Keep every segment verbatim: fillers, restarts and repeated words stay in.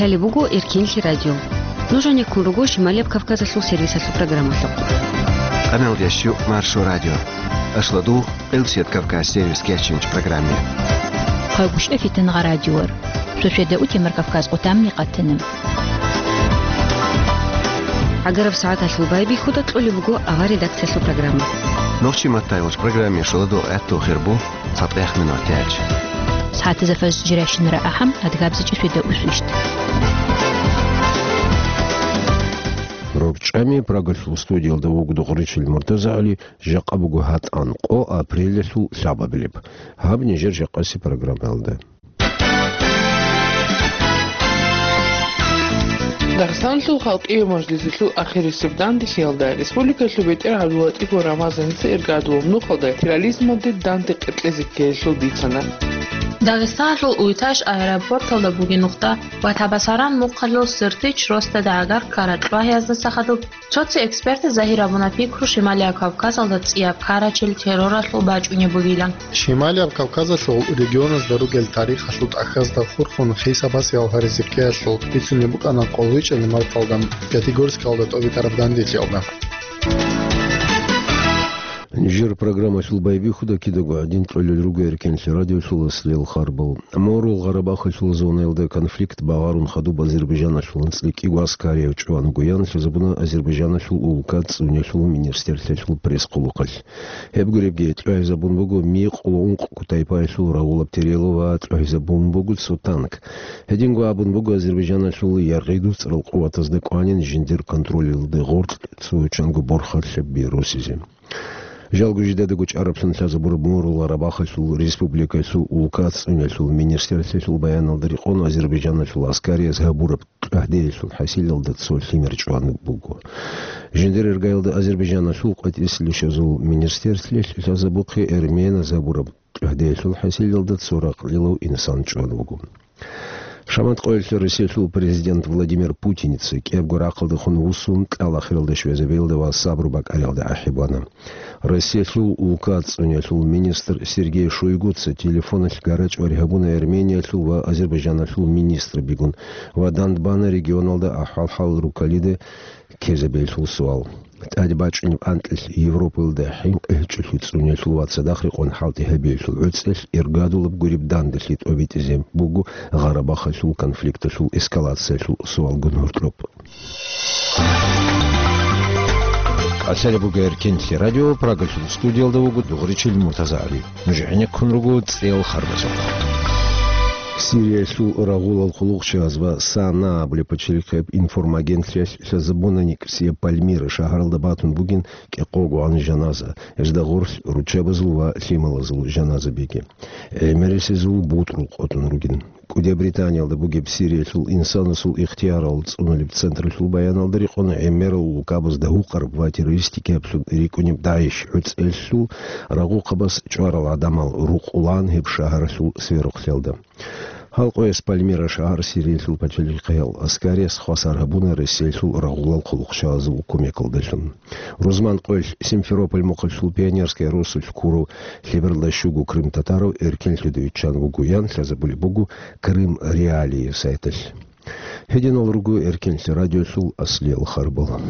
Лъалеб буго Эркенлъи радио. Нуж гьанеккун руго Шималияб Кавказалъул сервисалъул программалъухъ. Къаналдеш ю Маршо радио. Ашладу Элчет Кавказ сервис кечинч программе. Хъагушев Фитнагъа радиор. Сосиеда у Темир Кавказ къутамни къатана. Агараб сагӀаталъул байбихьуда кьолеб буго авар редакциялъул программа. Нохчи маттайгъуч программе шоладо гӀатту хирбу. ЦатӀехъ минут тяч. СагӀатазда фажр жиращинара ахӀам, адгабзичӀи светаусвищ. РорчӀами Прагалъул студиялда вуго Дугъричил МуртазагӀали, жакъа буго гьатӀан къо апрелалъул лъабабилеб. Гьаб нижер жакъаси программаялда. Дагъистаналъул халкъияв мажлисалъул ахирисеб данделъиялда республикалъул бетӀер ГӀабдуллатӀипов Рамазаница иргадулаб нухалда терроризмалде данде кьекьезе ккеялъул бицана. Дагъистаналъул Уйташ аэропорталда бугеб нухда ва Табасаран мухъалъул Сертич росдада гӀагар ккарал чӀвагьиязда сахадуб Цо-цо экспертаз загьир абуна пикру Шималияб Кавказалда цӀияб ккарачел терроралъул бачӀунеб бугилан. Шималияб Кавказалъул регионазда ругел тарихалъул тӀахьазда хурхун хисабасиялъ гьаризе ккеялъул бицунеб букӀана къоло вичӀанил марталда Пятигорскалда тӀобитӀараб данделъиялда. Нижер программалъул байбихьуда кидаго гӀадин кьолел руго Эркенлъи радиолъул аслияб харбал. Морул Гъарабахалъул зонаялда конфликт багъарун хадуб Азербайжаналъул анцӀила кӀиго аскарияб чӀван гуян лъазабуна Азербайжаналъул улка цӀунелъул министрлъиялъул пресс-хъулухъалъ. Гьеб гуребги, тӀагӀизабун буго микъ ва ункъ кутайпаялъул рагъулаб терело ва тӀагӀизабун буго цо танк. Гьединго абун буго Азербайжаналъул яргъи дусцӀарал къуватазда кӀванин жиндир контролалда гъоркь цо чанго борхалъаб бирусизе. Жалго жидедаго чӀараблъун лъазабураб Морул Гъарабахалъул республикаялъул улка цӀунелъул министрлъиялъул баяналда рекъон Азербайжаналъул аскарияз гьабураб тӀагӀдеялъул хӀасилалда цо лъимер чӀван буго. Жиндир иргаялда Азербайжаналъул къватӀислъи щвезул министрлъиялъ лъазабухъе эрменаз гьабураб тӀагӀдеялъул хӀасилалда цо ракълилав инсан чӀван вуго. Шамат къоялъ Россиялъул президент Владимир Путиница кӀиябго рахъалдехун вуссун, кьал ахиралда щвезабиялда ва сабру бакӀариялда ахӀи бана. Россиялъул улка цӀунелъул министр Сергей Шойгуца телефоналъ гарачӀвари гьабуна Армениялъул ва Азербайжаналъул министрабигун ва дандбана регионалда ахӀвал-хӀал руккалида ккезабиялъул суал. ТӀаде бачӀунеб анкьилъ Европаялда хӀинкъи гьечӀолъи цӀунелъул ва цадахъ рекъон хӀалтӀи гьабиялъул гӀуцӀелъ иргадулаб гуреб данделъи тӀобитӀизе буго Гъарабахалъул конфликталъул эскалациялъул суалгун гьоркьоб. Къалъалеб буго Эркенлъи радио, Прагалъул студиялда вуго Дугъричил МуртазагӀали. Нуж гӀенеккун руго цӀел харбазухъ. Сириялъул рагъулал хъулухъчияз ва САНА абулеб пачалихъияб информагентлъиялъ лъазабуна НикӀсияб Пальмира шагьаралда батун бугин кӀикъого гӀан жаназа, гьезда гъорлъ руччабазул ва лъималазул жаназабиги. ГӀемерисезул бутӀрул къотӀун ругин. КӀудияб Британиялда бугеб Сириялъул инсанасул ихтиярал цӀунулеб централъул баяналда рекъон гӀемерал улкабазда гьукъараб ва террористикаблъун рикӀкӀунеб ДАИШ гӀуцӀелъул рагъухъабаз чӀварал гӀадамал рукъулаан гьеб шагьаралъул сверухълъиялда. Гьал къояс Пальмира шагьар Сириялъул пачалихъиял аскарияс хвасар гьабуна Россиялъул рагъулал хъулухъчагӀазул кумекалдалъун. Рузман къоялъ Симферополь мухъалъул Пионерская росулъ ккурав лъебералда щуго крымтатарав эркенлъуда виччан вугоян лъазабулеб буго Крым Реалии сайталъ. Гьединал руго Эркенлъи радиолъул аслиял харбал.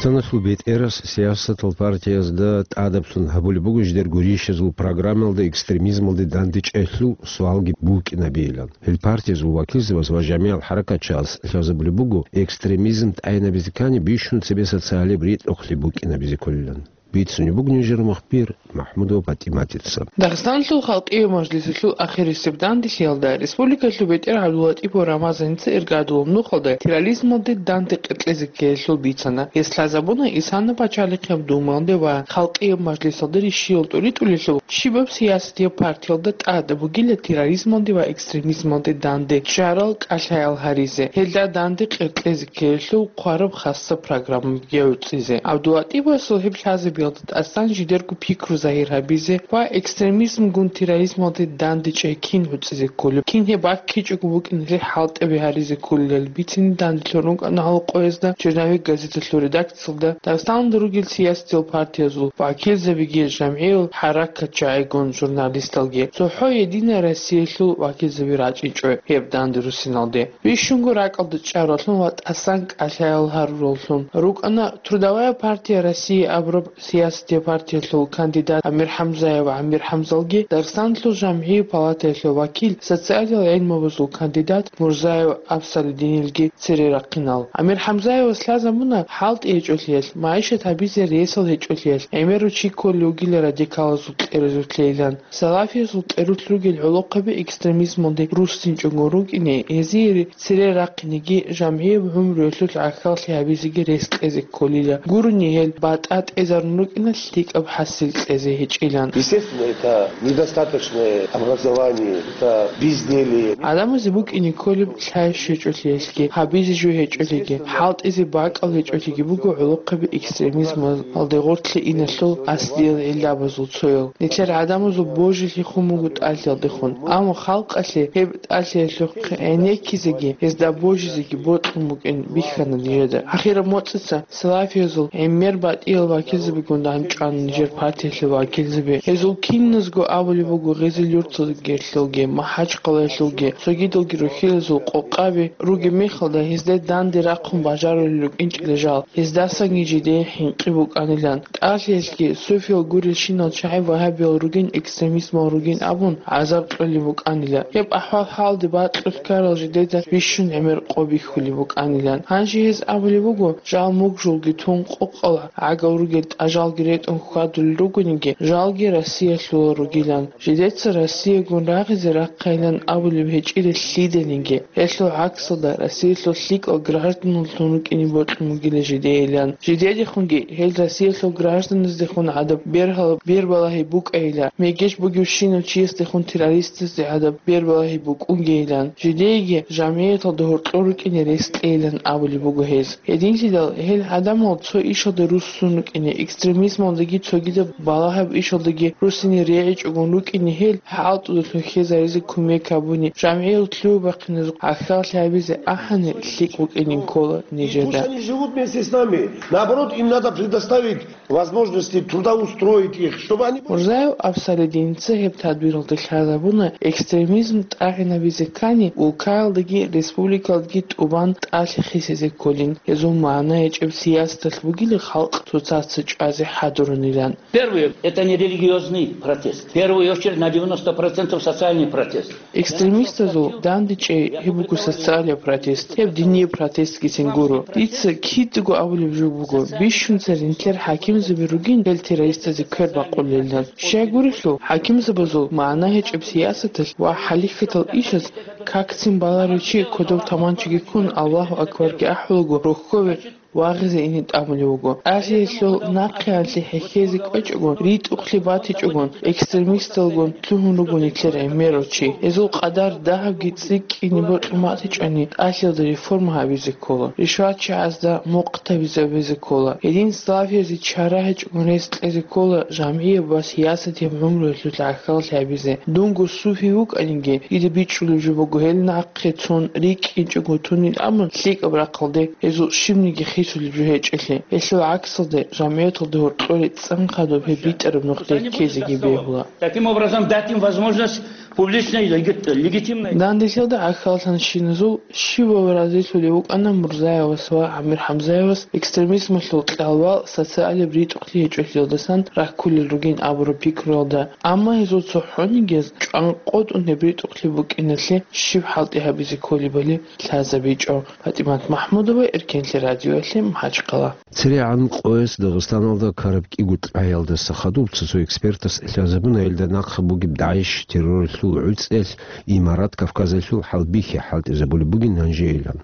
Дагъистаналъул бетӀерас сиясатал партиязда тӀадаблъун гьабулеб буго жидер гурищазул программаялда экстремизмалде дандечӀелъул суалги букӀинабейилан. Гьел партиязул вакилзабаз ва жамигӀал хӀаракатчияз лъазабулеб буго, экстремизм тӀайнабизе ккани бищун цебе социалияб ритӀухълъи букӀинабизе кколилан. Бицунеб буго нижер мухбир МахӀмудова ПатӀиматица. Дагъистаналъул халкъияв мажлисалъул ахирисеб данделъиялда республикалъул бетӀер ГӀабдуллатӀипов Рамазаница иргадулаб нухалда терроризмалде данде кьекьезе ккеялъул бицана. Гьес лъазабуна Исана пачалихъияб Думаялде ва халкъияб мажлисалде рищиялда тӀуритӀулелъул щибаб сиясатияб партиялда тӀад бугила терроризмалде ва экстремизмалде данде чӀарал кӀалъаял гьаризе, гьелда данде кьекьезе ккеялъул хъвараб хасаб программаби гӀуцӀизе. ГӀабдуллатӀиповасул гьеб лъазаби тӀасан жидерго пикру загьир гьабизе ва экстремизмгун терроризмалде дандечӀей кин гӀуцӀизе кколеб, кин гьеб баккичӀого букӀиналъе хӀалтӀи гьаризе кколилан бицине данделъун рукӀана гьал къоязда «Черновик» газеталъул редакциялда Дагъистаналда ругел сиясатиял партиязул вакилзабиги, жамгӀиял хӀаракатчагӀигун журналисталги. ЦохӀо «Единая Россиялъул» вакилзаби рачӀичӀо гьеб данде руссиналде. Бищунго ракӀалда чӀаралъун ва тӀасан кӀалъаял гьарураллъун рукӀана «Трудовая партия России» абураб сиясатиял партиялъул кандидат Амир ХӀамзаев ГӀамир ХӀамзалги, Дагъистаналъул жамгӀиял палатаялъул вакил, социалиял гӀилмабазул кандидат Мурзаев Абсалидинилги цере рахъинал. Амир ХӀамзаевас лъазабуна хӀалтӀи гьечӀолъиялъ, магӀишат гьабизе ресал гьечӀолъиялъ, гӀемерав чи кколев вугила радикалазул кьеразулъейилан. Салафиязул кьерулъ ругел гӀолохъаби экстремизмалде руссинчӀого рукӀине, гьезие цере рахъинеги, жамгӀияб гӀумруялъул гӀахьаллъи гьабизеги рес кьезе кколила. Гурони гьел батӀа тӀезарун рукӀина лъикӀаб хӀасил кьезе гьечӀилан. Естественно, это недостаточное образование, это безделье. ГӀадамазе букӀине кколеб лъай щвечӀолъиялъги, гьабизе жо гьечӀолъиги, хӀалтӀизе бакӀал гьечӀолъиги буго гӀолохъаби экстремизмалде гъоркье иналъул аслиял гӀиллабазул цоял. Нилъер гӀадамазул божилъи хун буго тӀалъиялдехун, амма халкъалъе гьеб тӀалъиялъухъ гӀенеккизеги, гьезда божизеги бокьун букӀин бихьана нижеда. Ахираб моцӀица салафиязул гӀемер батӀиял вакилзабигун дандчӀвана нижер партиялъул вакилзаби. Гьезул киназго абулеб буго Гъезил-Юрталгелъулги, МахӀачхъалаялъулги, цогидалги рухьилазул къокъаби ругеб мехалда, гьезда данде рахъун бажарулел рукӀинчӀила жал, гьездасанги жидее хӀинкъи букӀанилан. ТӀалъиялъги суфиял гурелщинал чагӀи вагьабиял ругин, экстремизмал ругин абун, гӀазаб кьолеб букӀанила. Гьеб ахӀвал-хӀалде бакьулъ ккарал жидеда бищун гӀемер къо бихьулеб букӀанилан. Гьанже гьез абулеб буго, жал мугжулги тун, къокъал гӀагал ругел тӀажалги ретӀун хьвадулел ругониги, жалги Россиялъулал ругилан. Жидеца Россиягун рагъизе рахъайилан абулеб гьечӀила лъиданиги. Гьелъул гӀаксалда, Россиялъул лъикӀал гражданлъун рукӀине бокьун бугила жидейилан. Жидедехунги гьел Россиялъул гражданаздехун гӀадаб бергьал-, бербалагьи букӀайила, мегеж бугевщинав чиясдехун террористазде гӀадаб бербалагьи букӀунгейилан. Жидееги жамгӀияталда гьоркьор рукӀине рес кьейилан абулеб буго гьез. Гьединлъидал гьел гӀадамал цо ишалда руссун рукӀине, экстремизмалдаги цогидаб балагьаб ишалдаги руссине регӀичӀогун рукӀине, гьел хӀалтӀудалъун хьезаризе кумек гьабуни, жамгӀиял лъугьа-бахъиназухъ гӀахьаллъи гьабизе ахӀани лъикӀ букӀинин ккола нижеда. Пусть они живут вместе с нами. Наоборот, им надо предоставить возможности трудоустроить их, чтобы они были... Мурзаев Абсалидиница гьеб тадбиралда лъазабуна, экстремизм тӀагӀинабизе ккани, улкаялдаги республикаялдаги тӀубан тӀалъи хисизе кколин, гьезул магӀна гьечӀеб сиясаталъ бугила халкъ цоцаца чӀвазе хӀадурунилан. Первый, это не религиозный протест. В первую очередь на девяносто процентов социальный протест. Экстремистазул дандечӀей гьеб буго социалияб протест, гьеб динияб протестгицин гуро. Дица кидаго абулеб жо буго, бищун церенлъер хӀакимзаби ругин гьел террористазе квер бакъулелан. Щай гурелъул, хӀакимзабазул магӀна гьечӀеб сиясаталъ ва хӀалихьатал ишаз какцин баларев чи кодов таманчаги ккун, Аллагьу акбарги ахӀулаго, рохьове вагъизе ине тӀамулев вуго. ТӀалъиялъул нахъеялъе хӀехьезе кӀвечӀогун, ритӀухълъи батичӀогун, экстремисталгун лъугьун руго нилъер гӀемерав чи. Гьезул къадар дагьабги цӀикӀкӀине бокьун батичӀони, тӀалъиялда реформа гьабизе ккола, ришватчагӀазда мухъ табизабизе ккола. Гьедин салафиязе чара гьечӀогун рес кьезе ккола жамгӀияб ва сиясатияб гӀумруялъул гӀахьаллъи гьабизе. Дунго суфи вукӀаниги, дида бичӀчӀулеб жо буго гьел нахъе цун рикӀкӀинчӀого тунин абун лъикӀаб рахъалде гьезул щибниги хисулеб жо гьечӀелъи. Гьелъул гӀаксалде, жамгӀияталда гьоркьоре цӀан хадуб гьеб битӀараб нухде ккезеги бегьула. Таким образом, дать им возможность публичной, легит-, легитимной. Данделъиялда гӀахьаллъанщиназул щивав разилъулев вукӀана Мурзаевас ва ГӀамир ХӀамзаевас экстремизмалъул кьалвал социалияб ритӀухълъи гьечӀолъиялдасан раккулел ругин абураб пикруялда. Амма гьезул цохӀонигияз чӀванкъотӀун гьеб ритӀухълъи букӀиналъе щиб хӀалтӀи гьабизе кколебали лъазабичӀо. ПатӀимат МахӀмудова, Эркенлъи радиоялъе, МахӀачхъала. ЦерегӀан къояс Дагъистаналда ккараб кӀиго лъагӀиялдаса хадуб цо-цо экспертас лъазабуна, гьелда нахъа бугеб ДАИШ терроралъул гӀуцӀиялъ Имарат Кавказалъул хӀалбихьи хӀалтӀизабулеб бугин гьанжейилан.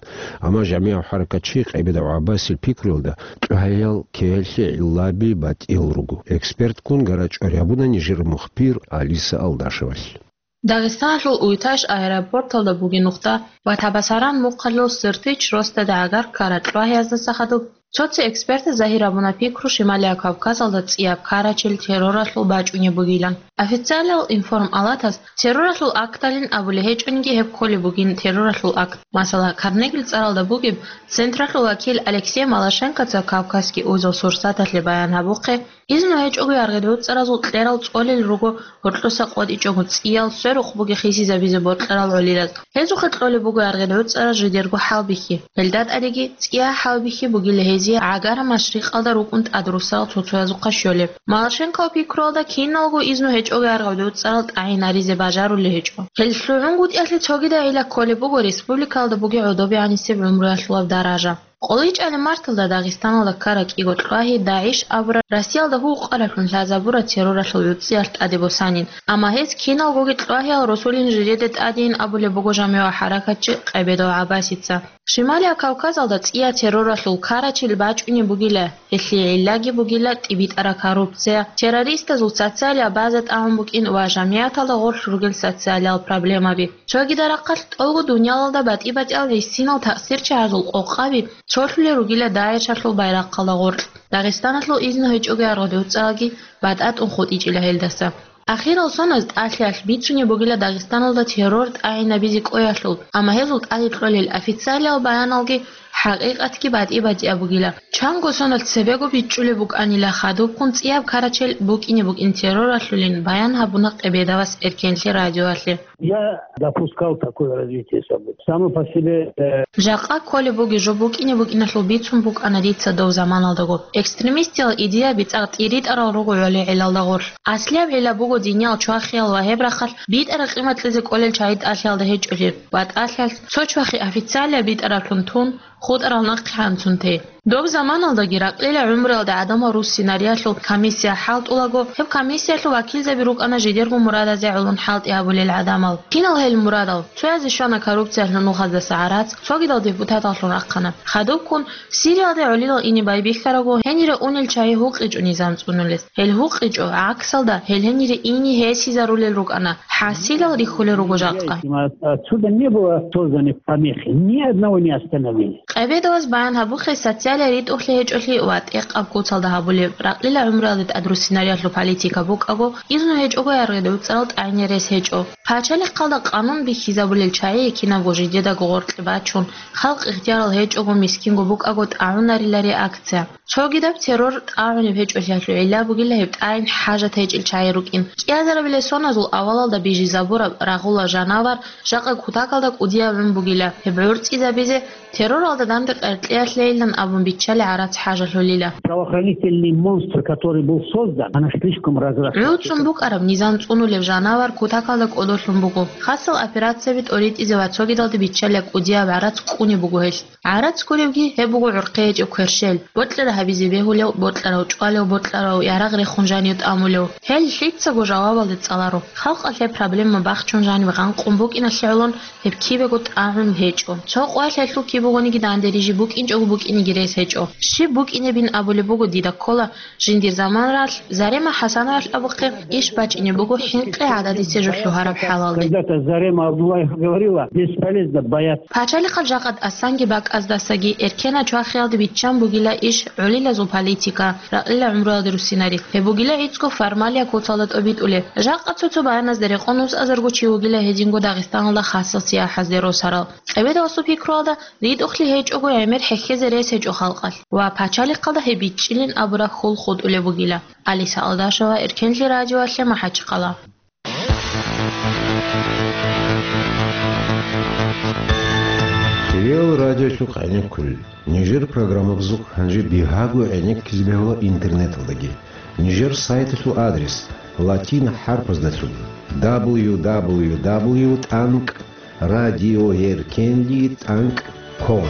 Амма жамигӀав хӀаракатчи КъайбадагӀ ГӀаббасил пикруялда, лъугьаял ккеялъе гӀиллаби батӀиял руго. Экспертккун гара-чӀвари гьабуна нижер мухбир Алиса Алдашевалъ. Дагъистаналъул Уйташ аэропорталда бугеб нухда ва Табасаран мухъалъул Сыртич росдада гӀагар ккараб лъугьаяздаса хадуб Цо-цо экспертаз загьир гьабуна пикру Шималияб Кавказалда цӀияб карачел терроралъул бачӀунеб бугилан. Официалиял информалатаз терроралъул акталин абулеб гьечӀониги, гьеб кколеб бугин терроралъул акт. Масала, Карнегил цӀаралда бугеб централъул вакил Алексей Малашенкоца Кавказский узел сурсаталъе баян гьабухъе, изну гьечӀого яргъи-дуцӀаразул кьерал цӀолел руго гьоркьоса къотӀичӀого цӀиял сверухъ бугеб хисизабизе бокьарал гӀолилаз. Гьезухъе кьолеб буго яргъи-дуцӀараз жидерго хӀалбихьи. Гьелда тӀадеги цӀия хӀалбихьи бугила гьезие гӀагара машрикъалда рукӀун тӀадрусарал цо-цоязухъа щолеб. Малашенков пикруялда киналго изну гьечӀого яргъи-дуцӀарал тӀагӀинаризе бажарулел гьечӀо. Гьел лъугӀунгутӀиялъе цогидайила кколеб буго республикалда бугеб гӀодобе гӀанисеб гӀумруялъулаб даража. КъолечӀалеб марталда Дагъистаналда ккараб кӀиго кьвагьи ДАГӀИШ абураб Россиялда гьукъараблъун лъазабураб терроралъул гӀурцӀиялъ тӀаде босанин, амма гьез киналгоги кьвагьиял росулин жидеде тӀадейин абулеб буго жамигӀ хӀаракатчи Къебедов ГӀаббасица. Шималияб Кавказалда цӀияб терроралъул карачел бачӀунеб бугила, гьелъие гӀиллаги бугила тӀибитӀараб коррупция, террористазул социалияб база тӀагӀун букӀин ва жамигӀаталда гъорлъ ругел социалиял проблемаби. Цогидал рахъалъ тӀолго дуниялалда батӀи-батӀиял гӀисинал таъсирчагӀазул къокъаби цолъулел ругила ДАГӀИШалъул байрахъалда гъоркь. Дагъистаналъул изну гьечӀого яргъи-дуцӀаралги батӀа тӀун хутӀичӀила гьелдаса. Ахирал соналъ тӀалъиялъ бицунеб бугила Дагъистаналда террор тӀагӀинабизе кӀвеялъул, амма гьезул тӀаде кьолел официалиял баяналги хӀакъикъатги батӀи-батӀияб бугила. Чанго соналъ цебего бичӀчӀулеб букӀанила хадубккун цӀияб карачел букӀине букӀин терроралъулин, баян гьабуна Къебедовас Эркенлъи радиоялъе. Я допускал такое развитие событий. Само по себе, э, Жакъа кколеб бугеб жо букӀине букӀиналъул бицун букӀана дица дов заманалдаго. Экстремистиял идеяби цӀакъ тӀиритӀарал руго гӀоле гӀелалда гъорлъ. Аслияб гӀилла буго диниял чвахиял ва гьеб рахъалъ битӀараб къимат кьезе кӀолел чагӀи тӀалъиялда гьечӀолъи ва тӀалъиялъ цо чвахи официалияб битӀараблъун тун, хутӀарал нахъе гьанцун те. Доб заманалдаги ракьила гӀумруялда гӀадамал руссинариялъул комиссия хӀалтӀулаго, гьеб комиссиялъул вакилзаби рукӀана жидерго мурадазе гӀолон хӀалтӀи гьабулел гӀадамал. Кинал гьел мурадал? Цоязе щвана коррупциялъул нухаздаса гӀарац, цогидал депутаталлъун рахъана. Хадубккун Сириялде гӀолилал ине байбихьараго, гьенире унел чагӀи гьукъичӀо низам цӀунулес. Гьел гьукъичӀо, гӀаксалда, гьел гьенире ине гьесизарулел рукӀана. ХӀасилал рихьулел руго жакъа. Отсюда не было созданы помехи, ни одного не остановили. Къебедовас баян гьабухъе социалияб ритӀухълъи гьечӀолъи ва тӀехъаб куцалда гьабулеб, ракьила гӀумруялде тӀадруссинариялъул политика букӀаго, изну гьечӀого яргъи-дуцӀарал тӀагӀине рес гьечӀо. Пачалихъалда къанун бихьизабулел чагӀи кинабго жидедаго гъоркье бачун, халкъ ихтиярал гьечӀого, мискинго букӀаго тӀагӀунарила реакция. Цогидаб террор тӀагӀунеб гьечӀолъиялъул гӀилла бугила гьеб тӀагӀин хӀажат гьечӀел чагӀи рукӀин. КӀиазарабилеб соназул авалалда бижизабураб рагъула жанавар жакъа кутакалда кӀудияб гӀун бугила, гьеб гӀурцӀизабизе терроралда данде къеркьеялъейилан абун биччалеб гӀарац хӀажалъулила. Правоохранительный монстр, который был создан, она слишком разросла. ГӀуцун букӀараб низам цӀунулеб жанавар кутакалда кӀодолъун буго. Хасал операцияби тӀоритӀизе ва цогидалде биччалеб кӀудияб гӀарац кӀунеб буго гьелъ. ГӀарац гуребги гьеб буго гӀурхъи гьечӀеб кверщел, бокьараб гьабизе бегьулев, бокьарав чӀвалев, бокьарав ярагъ рехун жанив тӀамулев. Гьел лъицаго жавабалде цӀаларо. Халкъалъ гьеб проблема бахчун жанив гъанкъун букӀиналъе гӀолон гьеб кибего тӀагӀун гьечӀо. Цо къоялъ гьелъул киб бугониги данде рижи букӀинчӀого букӀинеги рес гьечӀо. Щиб букӀинебин абулеб буго дида ккола, жиндир заманалъ Зарема ХӀасановалъ абухъе иш бачӀине буго хӀинкъи гӀададисе жо лъугьараб хӀалалде. Когда-то Зарема Абдуллаева говорила: «Бесполезно бояться». Пачалихъал жакъа тӀасанги бакӀаздасаги эркенал чвахиялде биччан бугила иш гӀолилазул политика, ракьила гӀумруялде руссинари. Гьеб бугила гӀицӀго формалия куцалда тӀобитӀулеб. Жакъа цо-цо баяназда рекъон усазарго чи вугила гьединго Дагъистаналда хасал сияхӀазде росарал. Къебедовасул пикруялда, ритӀухълъи гьечӀого гӀемер хӀехьезе рес гьечӀо халкъалъ ва пачалихъалда гьеб бичӀчӀилин абураб хьул хутӀулеб бугила. Алиса Алдашева, Эркенлъи радиоялъе, МахӀачхъала. Кирилл радиолъухъ гӀенеккулел. Нижер программабазухъ гьанже бигьаго гӀенеккизе бегьула интернеталдаги. Нижер сайталъул адрес: латин хӀарпаздалъун: дабл ю дабл ю дабл ю тӀанкӀ радиоеркенлъи тӀанкӀ ком.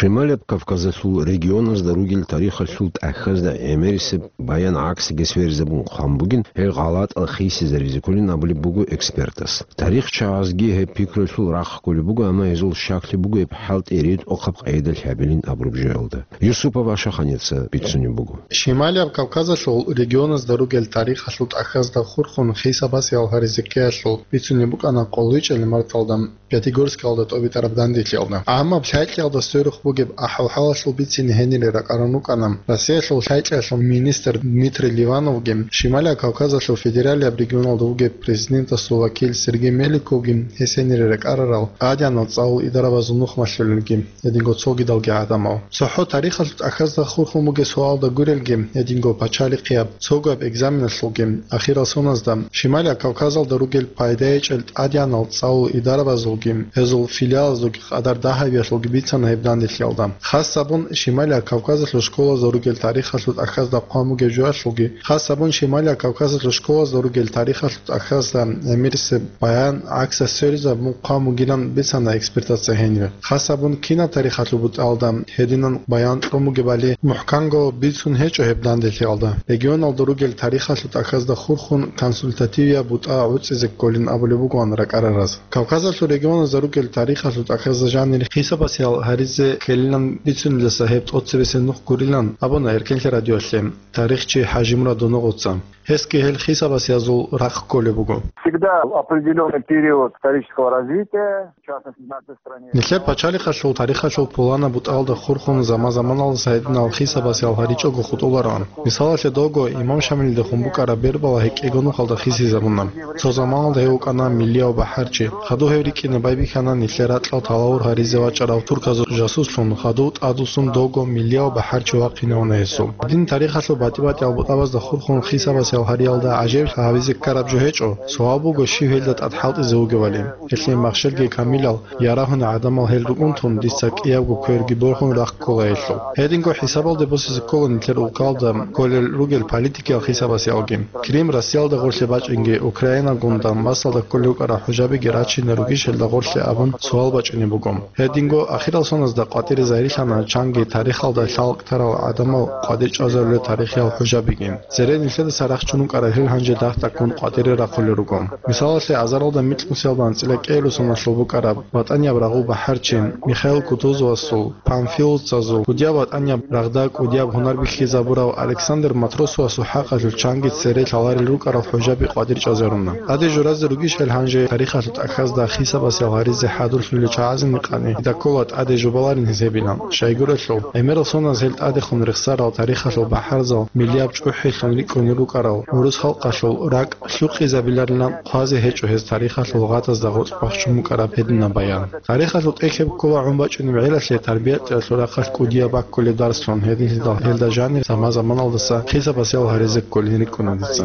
Шималияб Кавказалъул регионазда ругел тарихалъул тӀахьазда гӀемерисеб баян гӀаксиги сверизабун хъван бугин, гьел гъалатӀал хисизаризе кколин абулеб буго экспертас. Тарихчагьазги гьеб пикруялъул рахъ кколеб буго, амма гьезул щаклъи буго гьеб хӀалтӀи ретӀухъаб къайдалъ гьабилин абураб жоялда. Юсупов Ашаханица бицунеб буго. Шималияб Кавказалъул регионазда ругел тарихалъул тӀахьазда хурхун хисабасеял гьаризе ккеялъул бицунеб букӀана къоло гьечӀел марталда Пятигорскалда тӀобитӀараб данделъиялда. Амма лъайкьиялда сверухъ бугеб ахӀвал-хӀалалъул бицине гьенире ракӀарун рукӀана Россиялъул лъайкьиялъул министр Дмитрий Ливановги, Шималияб Кавказалъул федералияб регионалда вугеб президентасул вакил Сергей Меликовги, гьес гьенире ракӀарарал тӀадегӀанал цӀалул идарабазул нух малъулелги, гьединго цогидалги гӀадамал. ЦохӀо тарихалъул тӀахьазда хурхун бугеб суалда гурелги, гьединго пачалихъияб, цогояб экзаменалъулги, ахирал соназда, Шималияб Кавказалда ругел пайда гьечӀел тӀадегӀанал цӀалул идарабазулги, гьезул филиалазулги къадар дагьабиялъулги бицана гьеб данделъиялда. Хас гьабун, Шималияб Кавказалъул школазда ругел тарихалъул тӀахьазда хъван бугеб жоялъулги, хас гьабун, Шималияб Кавказалъул школазда ругел тарихалъул тӀахьазда гӀемерисеб баян гӀаксалъ сверизабун хъван бугилан бицана экспертаца гьенире. Хас гьабун, кинаб тарихалъул бутӀалда гьединан баян кьун бугебали мухӀканго бицун гьечӀо гьеб данделъиялда. Регионалда ругел тарихалъул тӀахьазда хурхун консультативияб бутӀа гӀуцӀизе кколин абулеб бугоан ракӀарараз. Кавказалъул регионазда ругел тарихалъул тӀахьазда жанир хисабасеял гьаризе ккелилан бицунилдаса гьеб тӀоцебесеб нух гурилан абуна Эркенлъи радиоялъе тарихчи ХӀажимурад Доногъоца. Гьесги гьел хисабасеязул рахъ кколеб буго. Всегда определённый период исторического развития, в частности, в нашей стране. Нилъер пачалихъалъул тарихалъул пуланаб бутӀалда хурхун заман-заманалдаса гьединал хисабасеял гьаричӀого хутӀулароан. Мисалалъе, дого имам Шамилидехун букӀараб Бербала гьекӀего нухалда хисизабуна. Цо заманалда гьев вукӀана миллияв бахӀарчи. Хадув гьев рикӀкӀине байбихьана нилъер ракьал талавур гьаризе вачӀарав турказул жасуслъун, хадув тӀадвуссун дого миллияв бахӀарчи вахъинавуна гьесул. Дин тарихалъул батӀи-батӀиял бутӀабазда хурхун хисабасеял гьариялда гӀажаиблъи гьабизе ккараб жо гьечӀо, суал буго, щив гьелда тӀад хӀалтӀизе вугевали. Гьелъие махщелги камилал, ярагьуни гӀадамал гьел рукӀун тун, дица кӀиябго кверги борхун рахъ ккола гьелъул. Гьединго хӀисабалде босизе ккола нилъер улкалда кколел ругел политикиял хисабасеялги. Крим Россиялда гъорлъе бачӀинги, Украинагун Донбассалда кколел рукӀарал хӀужабиги рачине ругищ гьелда гъорлъе абун суал бачӀунеб буго. Гьединго ахирал соназда къватӀире загьирлъана чанги тарихалда лъалкӀ тарал гӀадамал къватӀир чӀвазарулел тарихиял хӀужабиги. Цере нилъедаса рахчун рукӀарал гьел гьанже дагь-дагьккун къватӀире рахъулел руго. Мисалалъе, азаралда микьнусиялда анцӀила кӀиабилеб соналъул букӀараб ватӀанияб рагъул бахӀарчи Михаил Кутузовасул, панфиловцазул, кӀудияб ватӀанияб рагъда кӀудияб гьунар бихьизабурав Александр Матросовасул хӀакъалъулъ чанги цере лъаларел рукӀарал хӀужаби къватӀир чӀвазаруна. ТӀаде журазе ругищ гьел гьанже тарихалъул тӀахьазда хисабасеял гьаризе хӀадурлъулел чагӀазул къани, дида ккола тӀаде жубаларин гьез гьебилан. Щайгурелъул, гӀемерал соназ гьел тӀадехун рехсарал тарихалъул бахӀарзал миллияб чӀухӀелъун рикӀкӀунел рукӀарал гӀурус халкъалъул ракӀ лъукъизабиларилан хъвазе гьечӀо гьез тарихалъул гъатӀазда гъоркь бахчун букӀараб гьединаб баян. Тарихалъул тӀехь гьеб ккола гӀун бачӀунеб гӀелалъе тарбиятӀиялъул рахъалъ кӀудияб баккулеб дарсун, гьединлъидал гьелда жанир заман-заманалдаса хисабасеял гьаризе кколин рикӀкӀуна дица.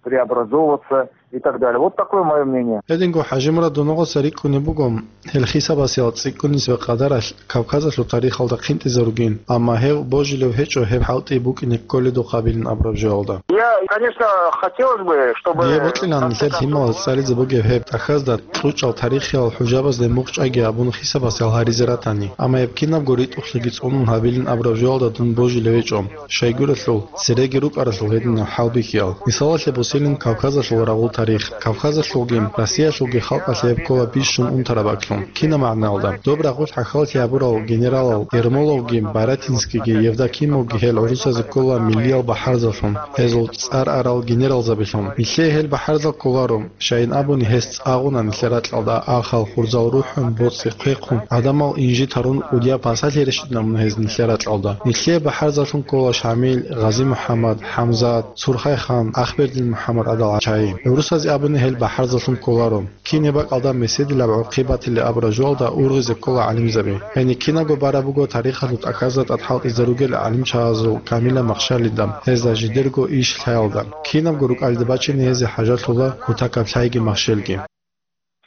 Преобразовываться и так далее. Вот такое мое мнение. Гьединго ХӀажимурад Доногъоца рикӀкӀунеб буго, гьел хисабасеял цӀикӀкӀунисеб къадаралъ Кавказалъул тарихалда хъинтӀизаругин, амма гьев божилев гьечӀо гьеб хӀалтӀи букӀине кколедухъабилин абураб жоялда. Я, конечно, хотелось бы, чтобы... Дие бокьилан нилъер лъималаз цӀализе бугеб гьеб тӀахьазда кьучӀал тарихиял хӀужабазде мухъ чӀвайги абун хисабасеял гьаризе ратани, амма гьеб кинабго ритӀухълъиги цӀунун гьабилин абураб жоялда дун божилев гьечӀо. Щайгурелъул, цереги рукӀаралъул гьединал хӀалбихьиял. Мисалалъе босилин Кавказалъул рагъул тарих. Кавказалъулги, Россиялъулги халкъалъе гьеб ккола бищун унтараб бакӀлъун. Кинаб магӀналда? Доб рагъулъ хӀахьаллъи гьабурал генералал Ермоловги, Барятинскийги, Евдокимовги гьел гӀурусазе ккола миллиял бахӀарзаллъун, гьезул цӀар арал генералзабилъун. Нилъее гьел бахӀарзал кколаро. Щайин абуни, гьес цӀагъуна нилъер ракьалда, ахал, хурзал рухӀун, боцӀи хъвехъун, гӀадамал инжит гьарун, кӀудияб пасалъи рещтӀинабуна гьез нилъер ракьалда. Нилъее бахӀарзаллъун ккола Шамил, Гъази-МухӀаммад, ХӀамзат, Сурхайхан, Ахбердин МухӀаммад гӀадал чагӀи. ГӀурусазе абуни, гьел бахӀарзаллъун кколаро. Кинаб бакӀалда меседилаб гӀурхъи батилеб абураб жоялда ургъизе ккола гӀалимзаби. Гьениб кинабго бараб буго тарихалъул тӀахьазда тӀад хӀалтӀизаругел гӀалимчагӀазул камилаб махщалида, гьезда жидерго иш лъаялда. Кинабго рукӀалде бачине гьезие хӀажалъула кутакаб лъайги махщелги.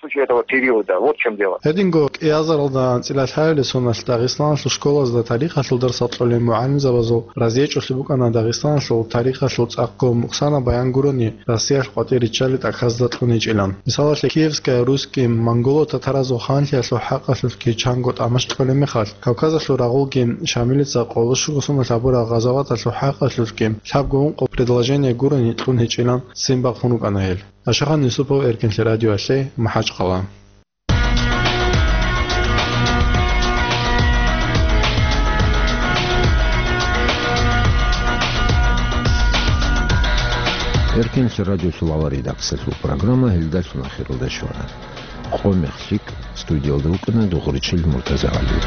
Случай этого периода. Вот в чём дело. Гьединго кӀиазаралда анцӀила лъабилеб соналъ Дагъистаналъул школазда тарихалъул дарсал кьолел мугӀалимзабазул разиечӀолъи букӀана Дагъистаналъул тарихалъул цӀакъго мукъсанаб баян гурони Россиялъ къватӀир риччалел тӀахьазда кьун гьечӀилан. Мисалалъе, Киевская русским монголо-татаразул ханлъиялъул хӀакъалъулъги чанго тӀамаш кьолеб мехалъ, Кавказалъул рагъулги Шамилица къоло щуго соналъ гьабурал гъазаваталъул хӀакъалъулъги лъабго ункъо предложение гурони кьун гьечӀилан ццин бахъун рукӀана гьел. Ашахан Юсупов, Эркинлъи радиоялъе, МахӀачхъала. Эркинлъи радиолъул авар редакциялъул программа гьелдалъун ахиралда щвана. Къо мех лъикӀ, студиялда вукӀана Дугъричил МуртазагӀали.